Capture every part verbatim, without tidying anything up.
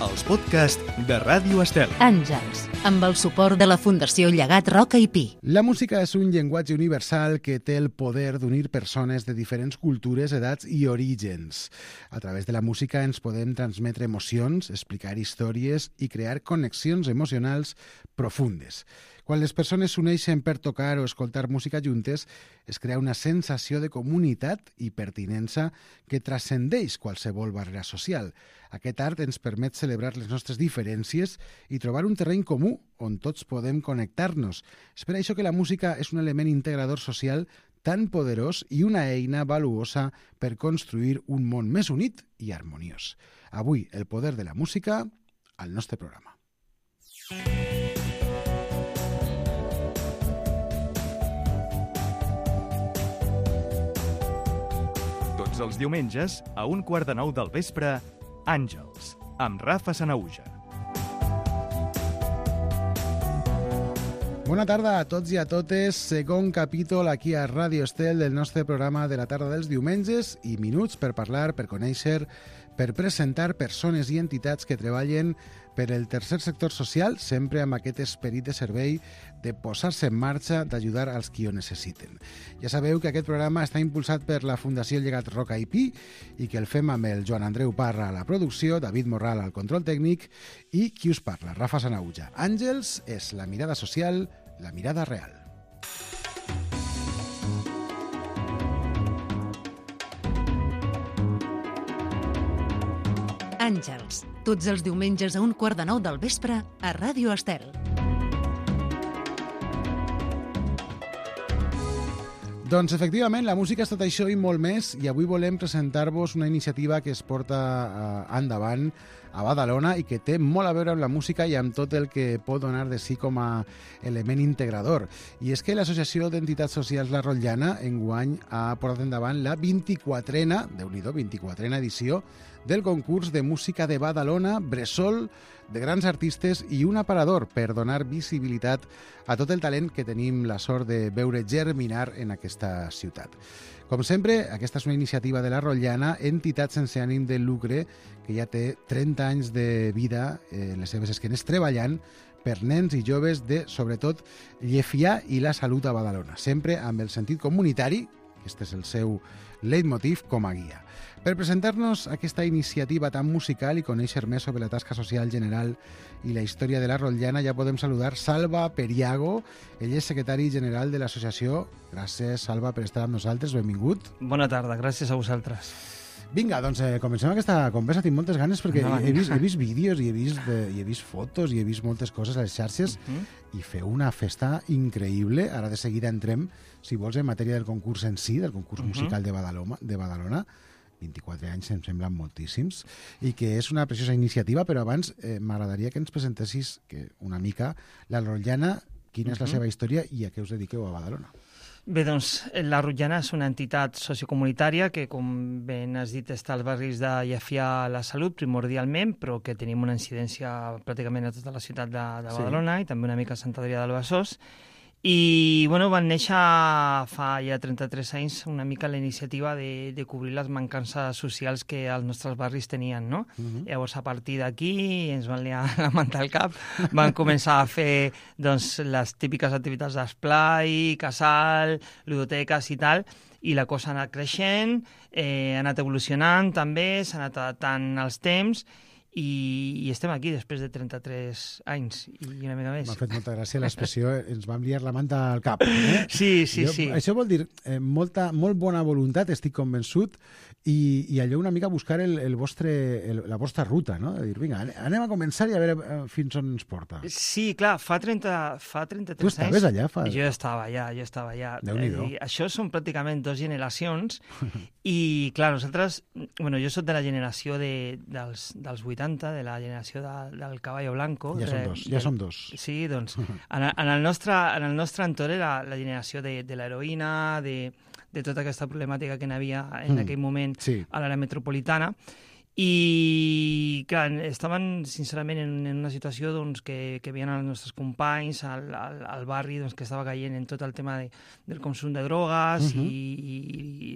els podcasts de Ràdio Estel. Àngels, amb el suport de la Fundació Llegat Roca i Pi. La música és un llenguatge universal que té el poder d'unir persones de diferents cultures, edats i orígens. A través de la música ens podem transmetre emocions, explicar històries i crear connexions emocionals profundes. Quan les persones s'uneixen per tocar o escoltar música juntes, es crea una sensació de comunitat i pertinença que transcendeix qualsevol barrera social. Aquest art ens permet celebrar les nostres diferències i trobar un terreny comú on tots podem connectar-nos. És per això que la música és un element integrador social tan poderós i una eina valuosa per construir un món més unit i harmoniós. Avui, el poder de la música al nostre programa. Tots els diumenges, a un quart de nou del vespre, Àngels, amb Rafa Sanahuja. Bona tarda a tots i a totes. Segon capítol aquí a Ràdio Estel del nostre programa de la tarda dels diumenges i minuts per parlar, per conèixer, per presentar persones i entitats que treballen per el tercer sector social, sempre amb aquest esperit de servei, de posar-se en marxa, d'ajudar als qui ho necessiten. Ja sabeu que aquest programa està impulsat per la Fundació Llegat Roca i Pi i que el fem amb el Joan Andreu Parra a la producció, David Morral al control tècnic i qui us parla, Rafa Sanahuja. Àngels és la mirada social, la mirada real. Àngels, tots els diumenges a un quart de nou del vespre a Ràdio Estel. Doncs efectivament, la música és tot això i molt més, i avui volem presentar-vos una iniciativa que es porta eh, endavant a Badalona i que té molt a veure amb la música i amb tot el que pot donar de si com a element integrador. I és que l'Associació d'Entitats Socials La Rotllana enguany ha portat endavant la vint-i-quatrena, Déu-n'hi-do, vint-i-quatrena edició del concurs de música de Badalona, Bressol, de grans artistes i un aparador per donar visibilitat a tot el talent que tenim la sort de veure germinar en aquesta ciutat. Com sempre, aquesta és una iniciativa de la Rotllana, entitat sense ànim de lucre, que ja té trenta anys de vida en eh, les seves esquenes treballant per nens i joves de, sobretot, Llefià i la salut a Badalona, sempre amb el sentit comunitari, aquest és el seu leitmotiv, com a guia. Per presentar-nos aquesta iniciativa tan musical i conèixer més sobre la tasca social general i la història de la Rotllana, ja podem saludar Salva Periago. Ell és secretari general de l'associació. Gràcies, Salva, per estar amb nosaltres. Benvingut. Bona tarda, gràcies a vosaltres. Vinga, doncs eh, comencem aquesta conversa. Tinc moltes ganes perquè no, he, vist, he vist vídeos i he vist, eh, i he vist fotos i he vist moltes coses a les xarxes uh -huh. i feu una festa increïble. Ara de seguida entrem, si vols, en matèria del concurs en si, del concurs uh -huh. musical de Badalona, de Badalona. vint-i-quatre anys em semblen moltíssims, i que és una preciosa iniciativa, però abans eh, m'agradaria que ens presentessis que una mica la Rotllana, quina és la seva història i a què us dediqueu a Badalona. Bé, doncs, la Rotllana és una entitat sociocomunitària que, com ben has dit, està als barris de Llefià a la Salut, primordialment, però que tenim una incidència pràcticament a tota la ciutat de, de Badalona sí. i també una mica a Sant Adrià del Besòs. I bueno, van néixer fa ja trenta-tres anys una mica la iniciativa de, de cobrir les mancances socials que els nostres barris tenien, no? Uh-huh. Llavors, a partir d'aquí, ens van liar la manta al cap, van començar a fer doncs, les típiques activitats d'esplai, casal, ludoteques i tal, i la cosa ha anat creixent, eh, ha anat evolucionant també, s'ha anat adaptant als temps, I, i estem aquí després de trenta-tres anys i una mica més. M'ha fet molta gràcia l'expressió, ens vam liar la manta al cap. Eh? Sí, sí, jo, sí. Això vol dir eh, molta, molt bona voluntat, estic convençut, i, i allò una mica buscar el, el vostre, el, la vostra ruta, no? De dir, vinga, anem a començar i a veure fins on ens porta. Sí, clar, fa, trenta, fa trenta-tres anys... Tu estaves anys, allà? Fa... Jo estava allà, jo estava allà. Déu-n'hi-do. I això són pràcticament dues generacions i, clar, nosaltres... Bueno, jo soc de la generació de, dels, dels vuitanta, de la generació de, del Caballo Blanco. Ja som dos, ja de, som dos. Sí, doncs, en, en, el nostre, en el nostre entorn era la generació de, de l'heroïna, de, de tota aquesta problemàtica que n'hi havia en mm, aquell moment sí. a l'àrea metropolitana. I, clar, estaven sincerament en, en una situació doncs, que, que veien els nostres companys al, al, al barri doncs, que estava caient en tot el tema de, del consum de drogues uh-huh. i, i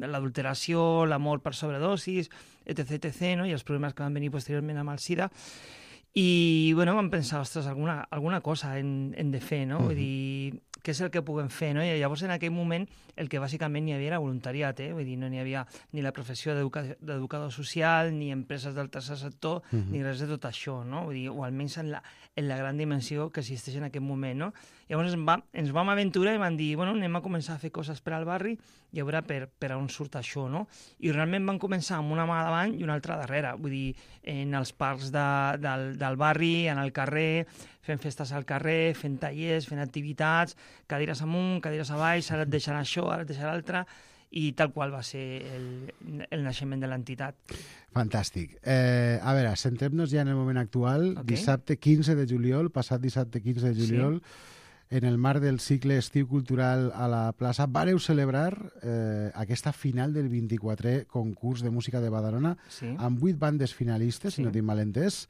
l'adulteració, l'amor per sobredosis, etc, etc, no? I els problemes que van venir posteriorment amb el SIDA. I bueno, vam pensar, ostres, alguna, alguna cosa hem, hem de fer, no? Uh-huh. Vull dir, què és el que puguem fer, no? I llavors en aquell moment el que bàsicament hi havia era voluntariat, eh? Vull dir, no n'hi havia ni la professió d'educador social, ni empreses del tercer sector, uh-huh. ni res de tot això, no? Vull dir, o almenys en la, en la gran dimensió que existeix en aquest moment, no? Llavors ens, va, ens vam aventurar i vam dir, bueno, anem a començar a fer coses per al barri i a veure per, per on surt això, no? I realment van començar amb una mà davant i una altra darrere, vull dir, en els parcs de, del, del barri, en el carrer, fent festes al carrer, fent tallers, fent activitats, cadires amunt, cadires avall, ara et deixarà això, ara et deixarà l'altre, i tal qual va ser el, el naixement de l'entitat. Fantàstic. Eh, a veure, centrem-nos ja en el moment actual. Okay. Dissabte quinze de juliol, passat dissabte quinze de juliol, sí. En el marc del cicle Estiu Cultural a la plaça, vareu celebrar eh, aquesta final del vint-i-quatrè concurs de música de Badalona sí. amb vuit bandes finalistes, sí. si no tinc mal entès.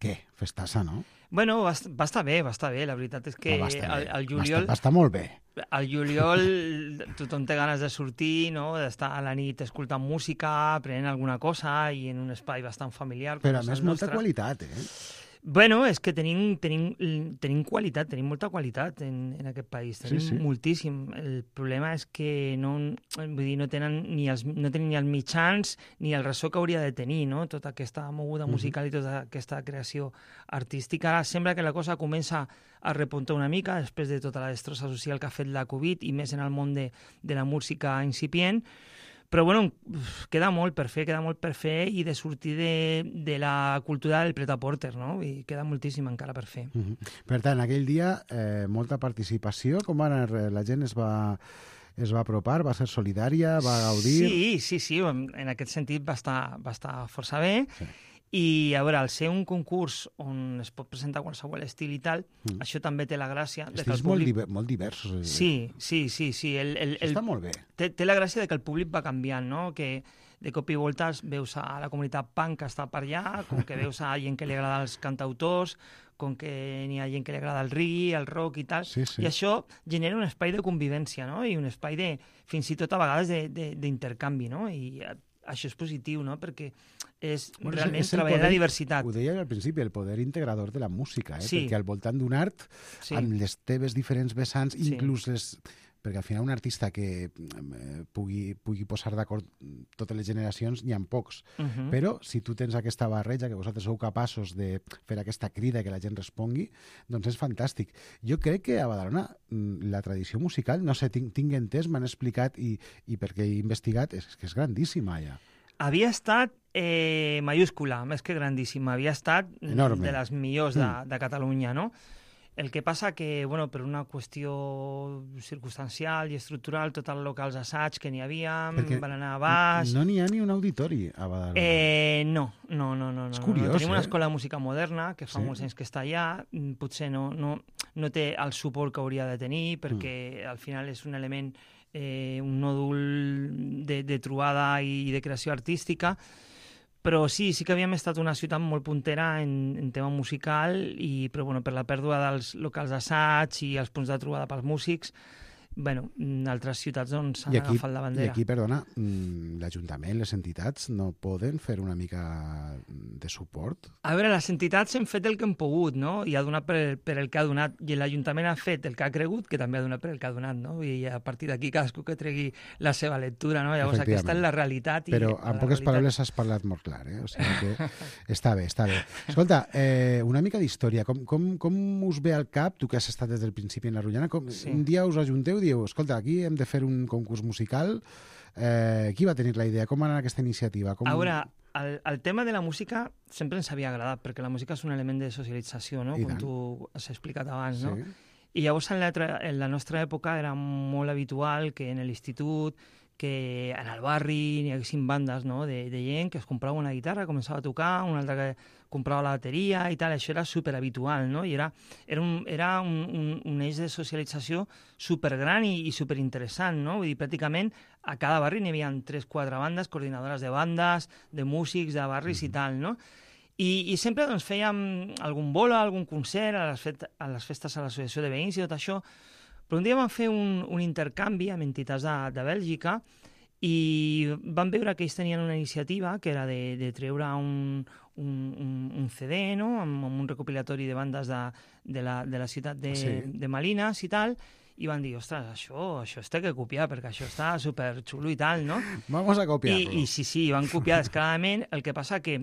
Què? Festassa, no? Bueno, va, va estar bé, va estar bé. La veritat és que no, el, el juliol... Va estar, va estar molt bé. Al juliol tothom té ganes de sortir, no? D'estar a la nit escoltant música, aprenent alguna cosa i en un espai bastant familiar. Però a més, molta qualitat, eh? Bueno, és que tenim, tenim, tenim qualitat, tenim molta qualitat en, en aquest país, tenim sí, sí. moltíssim. El problema és que no, vull dir, no, tenen ni els, no tenen ni els mitjans ni el ressò que hauria de tenir, no? Tota aquesta moguda musical i tota aquesta creació artística. Ara sembla que la cosa comença a repuntar una mica després de tota la destrossa social que ha fet la Covid i més en el món de, de la música incipient. Però, bueno, queda molt per fer, queda molt per fer i de sortir de, de la cultura del pret-a-porter, no? I queda moltíssim encara per fer. Uh-huh. Per tant, aquell dia, eh, molta participació. Com va anar? La gent es va, es va apropar, va ser solidària, va gaudir? Sí, sí, sí. En aquest sentit va estar, va estar força bé. Sí. I, a veure, al ser un concurs on es pot presentar qualsevol estil i tal, mm. això també té la gràcia... Estils de que el públic... molt, diver, molt diversos. Eh? Sí, sí, sí. sí. El, el, el... Està molt bé. Té, té la gràcia de que el públic va canviant, no? Que de cop i volta veus a la comunitat punk que està per allà, com que veus a gent que li agrada els cantautors, com que n'hi ha gent que li agrada el reggae, el rock i tal, sí, sí. i això genera un espai de convivència, no? I un espai de, fins i tot a vegades d'intercanvi, no? I això és positiu, no? Perquè és bueno, realment és treballar poder, la diversitat. Ho deia al principi, el poder integrador de la música, eh? Sí. Perquè al voltant d'un art, sí. amb les teves diferents vessants, sí. inclús les... Perquè al final un artista que eh, pugui, pugui posar d'acord totes les generacions, n'hi ha pocs. Uh-huh. Però si tu tens aquesta barreja, que vosaltres sou capaços de fer aquesta crida que la gent respongui, doncs és fantàstic. Jo crec que a Badalona la tradició musical, no sé, tinc, tinc entès, m'han explicat i, i perquè he investigat, és que és grandíssima ja. Havia estat eh, mayúscula, més que grandíssima. Havia estat enorme. De les millors de, de Catalunya, no? El que passa que, bueno, per una qüestió circumstancial i estructural, tots els locals d'assaig que n'hi havia Perquè van anar a baix... No n'hi ha ni un auditori a Badalona. Eh, no, no, no. no és no, curiós, no. Tenim una eh? escola de música moderna, que fa sí. molts anys que està allà, potser no, no, no té el suport que hauria de tenir, perquè mm. al final és un element, eh, un nòdul de, de trobada i de creació artística, però sí, sí que havíem estat una ciutat molt puntera en, en tema musical, i, però bueno, per la pèrdua dels locals d'assaig i els punts de trobada pels músics, bueno, altres ciutats doncs, han agafat la bandera. I aquí, perdona, l'Ajuntament, les entitats, no poden fer una mica de suport? A veure, les entitats hem fet el que hem pogut, no? I ha donat per, per el que ha donat, i l'Ajuntament ha fet el que ha cregut, que també ha donat per el que ha donat, no? I a partir d'aquí cadascú que tregui la seva lectura, no? Llavors aquesta és la realitat. I Però en poques realitat... paraules has parlat molt clar, eh? O sigui que està bé, està bé. Escolta, eh, una mica d'història. Com, com, com us ve al cap, tu que has estat des del principi en la Rotllana, com, sí. un dia us ajunteu i diu, escolta, aquí hem de fer un concurs musical. Eh, qui va tenir la idea? Com va anar aquesta iniciativa? Com... A veure, el, el tema de la música sempre ens havia agradat, perquè la música és un element de socialització, no? Com tu has explicat abans, sí. no? I llavors en la, en la nostra època era molt habitual que en l'institut, que en el barri n'hi haguessin bandes, no? de, de gent que es comprava una guitarra, començava a tocar, una altra que comprava la bateria i tal, això era superhabitual, no? I era, era, un, era un, un, un eix de socialització supergran i, i superinteressant, no? Vull dir, pràcticament a cada barri n'hi havia tres, quatre bandes, coordinadores de bandes, de músics, de barris mm-hmm. i tal, no? I, i sempre doncs, fèiem algun bolo, algun concert a les, fet, a les festes a l'associació de veïns i tot això, però un dia vam fer un, un intercanvi amb entitats de, de Bèlgica i vam veure que ells tenien una iniciativa que era de, de treure un, un, un, un C D, no?, amb, amb un recopilatori de bandes de, de, la, de la ciutat de, Sí. de Malines i tal, i van dir, ostres, això, això es té que copiar, perquè això està superxulo i tal, no? Vamos a copiar-lo. I, I sí, sí, van copiar descaradament, el que passa que,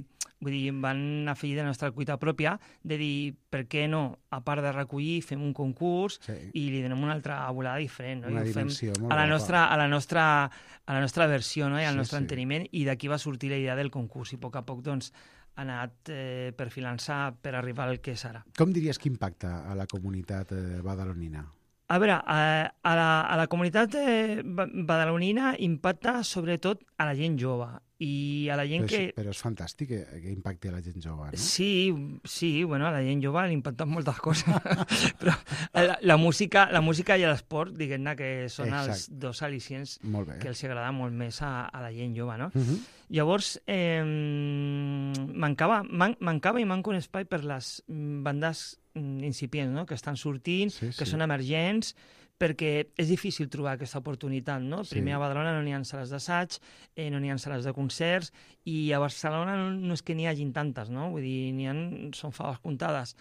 vull dir, van afegir de la nostra cuita pròpia de dir, per què no, a part de recollir, fem un concurs Sí. i li donem una altra volada diferent, no? Una I ho fem dimensió molt a la, guapa. nostra, a, la nostra, a la nostra versió, no? I al Sí, nostre sí. enteniment, i d'aquí va sortir la idea del concurs, i a poc a poc, doncs, ha anat eh, perfilant-se per arribar al que és ara. Com diries que impacta a la comunitat eh, badalonina? A veure, a, a, la, a la comunitat eh, ba- badalonina impacta sobretot a la gent jove i a la gent Però, que... és, però és fantàstic que, que impacti a la gent jove, no? Sí, sí, bueno, a la gent jove li impacten moltes coses, però la, la, música, la música i l'esport, diguem-ne que són els Exacte. dos al·licients Molt bé. que els agrada molt més a, a la gent jove, no? Uh -huh. Llavors, eh, mancava, man, mancava i manca un espai per les mm, bandes mm, incipients, no?, que estan sortint, Sí, que sí. són emergents, perquè és difícil trobar aquesta oportunitat, no? Sí. Primer a Badalona no n'hi ha sales d'assaig, eh, no n'hi ha sales de concerts, i a Barcelona no, no és que n'hi hagin tantes, no? Vull dir, n'hi ha, són faves comptades.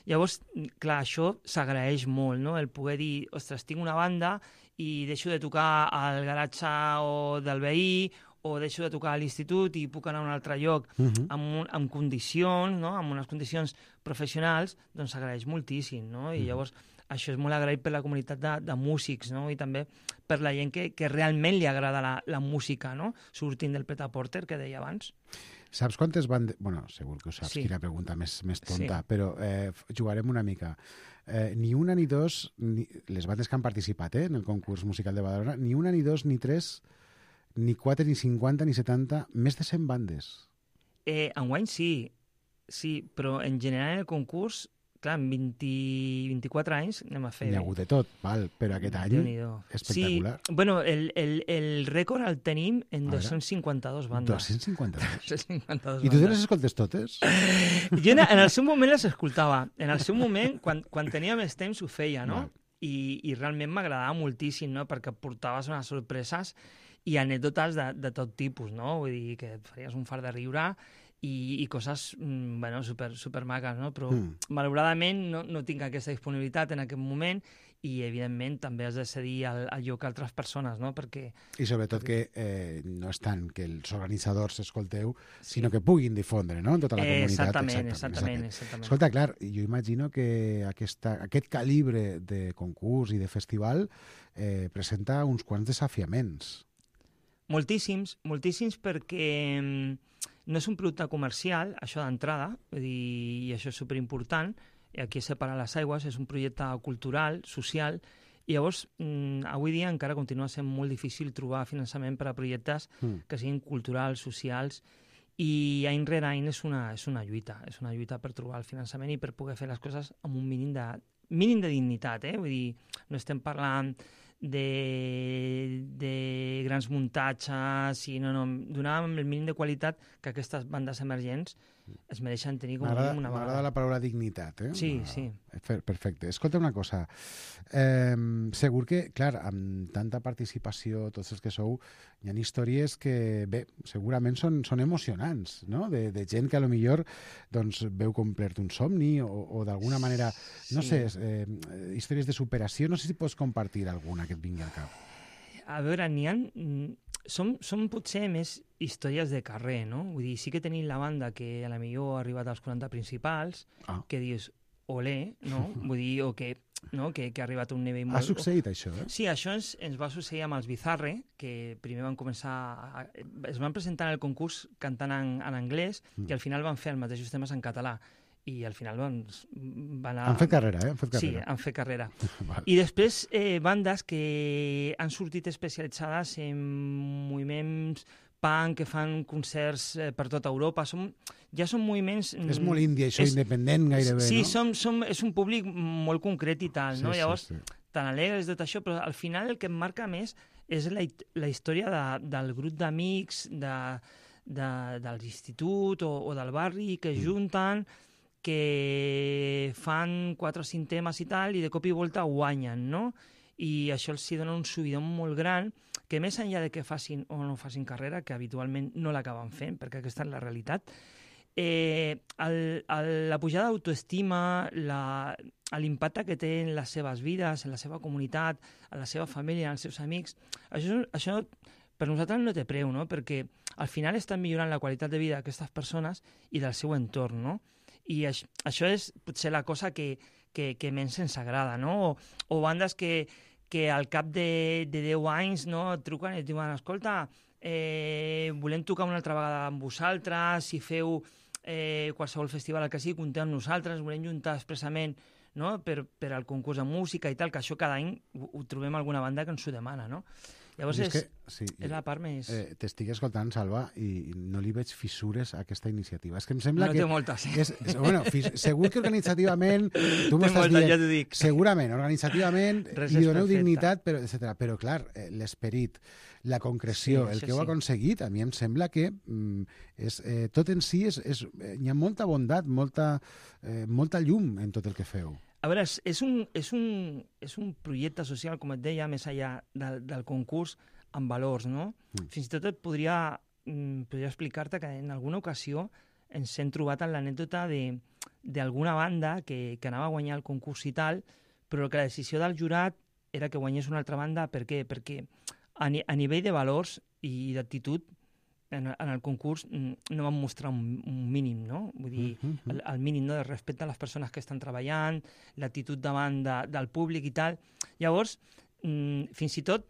Llavors, clar, això s'agraeix molt, no?, el poder dir, ostres, tinc una banda i deixo de tocar al garatge o del veí, o deixo de tocar a l'institut i puc anar a un altre lloc Uh -huh. amb, un, amb condicions, no?, amb unes condicions professionals, doncs s'agraeix moltíssim, no? I llavors això és molt agraït per la comunitat de, de músics, no?, i també per la gent que, que realment li agrada la, la música, no?, sortint del pret-a-porter, que deia abans. Saps quantes bandes... Bueno, segur que ho saps, Sí. quina pregunta més, més tonta, Sí. però eh, jugarem una mica. Eh, ni una ni dos, ni, les bandes que han participat eh, en el concurs musical de Badalona, ni una, ni dos, ni tres, ni quatre, ni cinquanta, ni setanta, més de cent bandes. Eh, enguany sí, sí, però en general en el concurs, clar, en vint, vint-i-quatre anys anem a fer... N'hi ha hagut de tot, val, però aquest any Déu-n'hi-do. espectacular. Sí, bueno, el, el, el rècord el tenim en A veure. dos-cents cinquanta-dos bandes. dos-cents cinquanta-dos. dos-cents cinquanta-dos I tu te les bandes. escoltes totes? Jo en, en el seu moment les escoltava. En el seu moment, quan, quan tenia més temps, ho feia, no? Val. I, i realment m'agradava moltíssim, no?, perquè portaves unes sorpreses i anècdotes de, de tot tipus, no? Vull dir que et faries un fart de riure i, i coses, mm, bueno, super, super maques, no? Però, Mm. malauradament, no, no tinc aquesta disponibilitat en aquest moment i, evidentment, també has de cedir el, el lloc a altres persones, no? Perquè... I sobretot que eh, no és tant que els organitzadors escolteu, Sí. sinó que puguin difondre, no?, en tota la Eh, comunitat. exactament, exactament, exactament. Escolta, clar, jo imagino que aquesta, aquest calibre de concurs i de festival eh, presenta uns quants desafiaments. Moltíssims, moltíssims, perquè mm, no és un producte comercial, això d'entrada, vull dir, i això és superimportant, i aquí es separa les aigües, és un projecte cultural, social, i llavors, mm, avui dia encara continua sent molt difícil trobar finançament per a projectes Mm. que siguin culturals, socials, i any rere any és una, és una lluita, és una lluita per trobar el finançament i per poder fer les coses amb un mínim de, mínim de dignitat, eh? Vull dir, no estem parlant de, de grans muntatges, i no, no, donàvem el mínim de qualitat que aquestes bandes emergents es mereixen tenir com a M'agrada mínim una m'agrada vegada. la paraula dignitat, eh? Sí, Ah, sí. fer- Perfecte. Escolta una cosa. Eh, segur que, clar, amb tanta participació, tots els que sou, hi ha històries que, bé, segurament són, són emocionants, no?, de, de gent que a lo millor doncs, veu complert un somni o, o d'alguna manera, no Sí. sé, eh, històries de superació. No sé si pots compartir alguna que et vingui al cap. A veure, n'hi ha... mm, Som, som potser més històries de carrer, no? Vull dir, sí que tenim la banda que a la millor ha arribat als quaranta principals, Ah. que dius, olé, no? Vull dir, o que, no? que, que ha arribat a un nivell molt... Ha succeït això, eh? Sí, això ens, ens va succeir amb els Bizarre, que primer van començar... A, es van presentar en el concurs cantant en, en anglès Mm. i al final van fer els mateixos temes en català. I al final doncs, van anar... Han fet carrera, eh? Han fet Sí, carrera. han fet carrera. Val. I després eh, bandes que han sortit especialitzades en moviments punk, que fan concerts eh, per tota Europa. Som, ja són moviments... És molt índia, això, és- independent gairebé, sí, no? som, som, és un públic molt concret i tal, no? Sí, Llavors, sí, sí. tan alegres de tot això, però al final el que em marca més és la, la història de, del grup d'amics, de, de, de l'institut o, o del barri que es junten, que fan quatre o cinc temes i tal, i de cop i volta guanyen, no? I això els hi dona un subidon molt gran, que més enllà de que facin o no facin carrera, que habitualment no l'acaben fent, perquè aquesta és la realitat, eh, el, el, la pujada d'autoestima, l'impacte que té en les seves vides, en la seva comunitat, en la seva família, en els seus amics, això, això per nosaltres no té preu, no? Perquè al final estan millorant la qualitat de vida d'aquestes persones i del seu entorn, no? I això, això és potser la cosa que, que, que menys ens agrada, no? O, o bandes que, que al cap de, de deu anys, no, et truquen i et diuen, escolta, eh, volem tocar una altra vegada amb vosaltres, si feu eh, qualsevol festival que sigui, compteu amb nosaltres, volem juntar expressament, no?, per, per al concurs de música i tal, que això cada any ho, ho trobem alguna banda que ens ho demana, no? Llavors és, és, que, sí, és la part més... Eh, T'estic escoltant, Salva, i no li veig fissures a aquesta iniciativa. És que em sembla no que... té moltes, eh? És, és, bueno, fis, segur que organitzativament... Tu té m'estàs moltes, dient... ja t'ho dic. Segurament, organitzativament, Res li és doneu perfecte. dignitat, però, etcètera. Però, clar, eh, l'esperit, la concreció, Sí, el això que heu sí. aconseguit, a mi em sembla que mm, és, eh, tot en si és, és, eh, hi ha molta bondat, molta, eh, molta llum en tot el que feu. A veure, és, és, un, és, un, és un projecte social, com et deia, més enllà del, del concurs, amb valors, no? Mm. Fins i tot et podria, mm, podria explicar-te que en alguna ocasió ens hem trobat en l'anècdota d'alguna banda que, que anava a guanyar el concurs i tal, però que la decisió del jurat era que guanyés una altra banda. Per què? Perquè a, ni, a nivell de valors i d'actitud, en, en el concurs no van mostrar un, un mínim, no? Vull dir, Mm-hmm. el, el mínim, no?, de respecte a les persones que estan treballant, l'actitud davant de, del públic i tal. Llavors, mm, fins i tot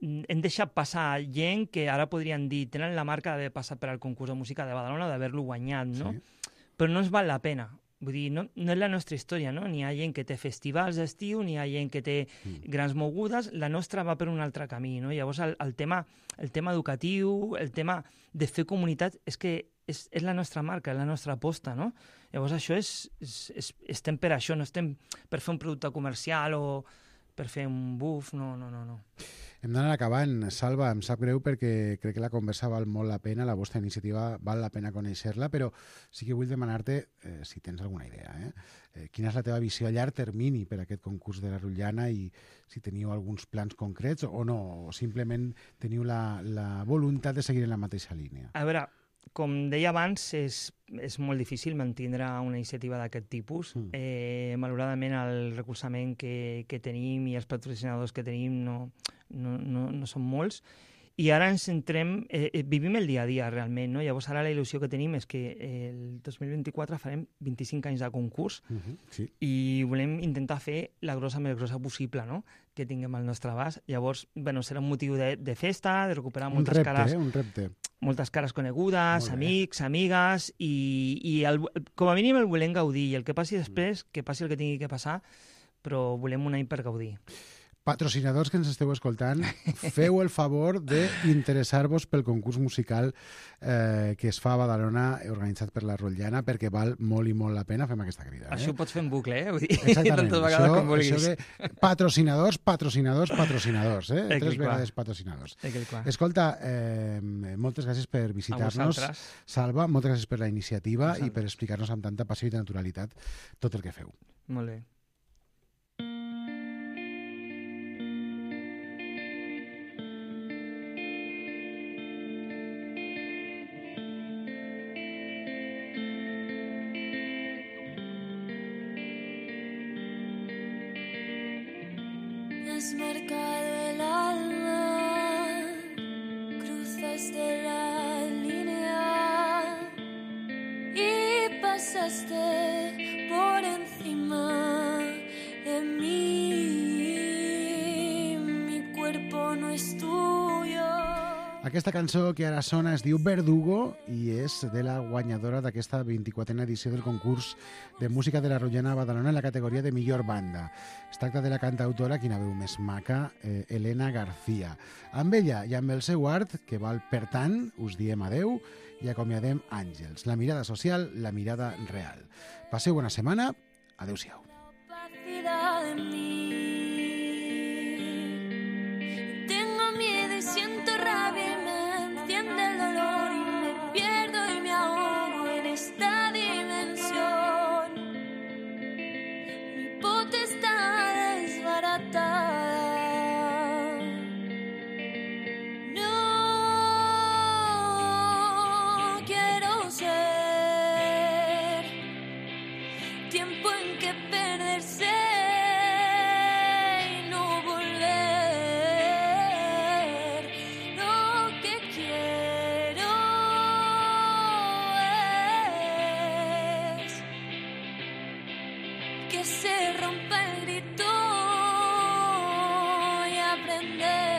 mm, hem deixat passar gent que ara podrien dir tenen la marca d'haver passat per al concurs de música de Badalona, d'haver-lo guanyat, no? Sí. Però no ens val la pena. Vull dir, no, no és la nostra història, no? N'hi ha gent que té festivals d'estiu, n'hi ha gent que té Mm. grans mogudes, la nostra va per un altre camí, no? Llavors, el, el, tema, el tema educatiu, el tema de fer comunitat, és que és, és la nostra marca, és la nostra aposta, no? Llavors, això és, és, és... Estem per això, no estem per fer un producte comercial o per fer un buf, no, no, no, no. Hem d'anar acabant. Salva, em sap greu perquè crec que la conversa val molt la pena, la vostra iniciativa val la pena conèixer-la, però sí que vull demanar-te, eh, si tens alguna idea, eh? Eh, quina és la teva visió a llarg termini per a aquest concurs de la Rotllana i si teniu alguns plans concrets o no, o simplement teniu la, la voluntat de seguir en la mateixa línia. A veure, com deia abans, és, és molt difícil mantindre una iniciativa d'aquest tipus. Mm. Eh, malauradament, el recolzament que, que tenim i els patrocinadors que tenim no, no, no, no són molts. I ara ens centrem, eh, vivim el dia a dia realment, no? Llavors ara la il·lusió que tenim és que el dos mil vint-i-quatre farem vint-i-cinc anys de concurs Uh-huh, sí. i volem intentar fer la grossa més grossa possible, no?, que tinguem al nostre abast. Llavors, bueno, serà un motiu de, de festa, de recuperar Un moltes repte, cares, eh? Un repte. moltes cares conegudes, Molt bé. amics, amigues, i, i el, com a mínim el volem gaudir, i el que passi després, que passi el que tingui que passar, però volem un any per gaudir. Patrocinadors que ens esteu escoltant, feu el favor d'interessar-vos pel concurs musical eh, que es fa a Badalona, organitzat per la Rotllana, perquè val molt i molt la pena. Fem aquesta crida. Eh? Això ho pots fer en bucle, eh? Vull dir, Exactament. tantes vegades Això, com vulguis. això que... Patrocinadors, patrocinadors, patrocinadors. Eh? Tal Tres qual. vegades patrocinadors. Tal qual. Escolta, eh, moltes gràcies per A visitar-nos. vosaltres. Salva, moltes gràcies per la iniciativa Vosaltres. i per explicar-nos amb tanta passió i naturalitat tot el que feu. Molt bé. Has marcado el alma, cruzaste la línea y pasaste por encima de mí. Mi cuerpo no es tuyo. Aquesta cançó que ara sona es diu Verdugo i és de la guanyadora d'aquesta vint-i-quatrena edició del concurs de música de la Rotllana a Badalona en la categoria de millor banda. Es tracta de la cantautora, quina veu més maca, eh, Elena García. Amb ella i amb el seu art, que val per tant, us diem adeu i acomiadem Àngels. La mirada social, la mirada real. Passeu bona setmana. Adéu-siau. Opacidad de mí. Tengo miedo y siento rabia y me enciende el dolor y me pierde tiempo en que perderse y no volver. Lo que quiero es que se rompa el grito y aprender.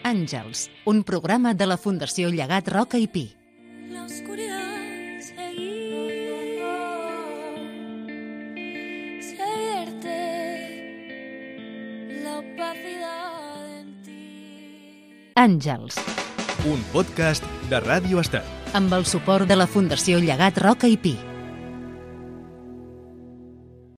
Àngels, un programa de la Fundació Llegat Roca i Pi. La oscuridad seguir, se vierte la opacidad en ti. Àngels, Un podcast de Ràdio Estat. amb el suport de la Fundació Llegat Roca i Pi.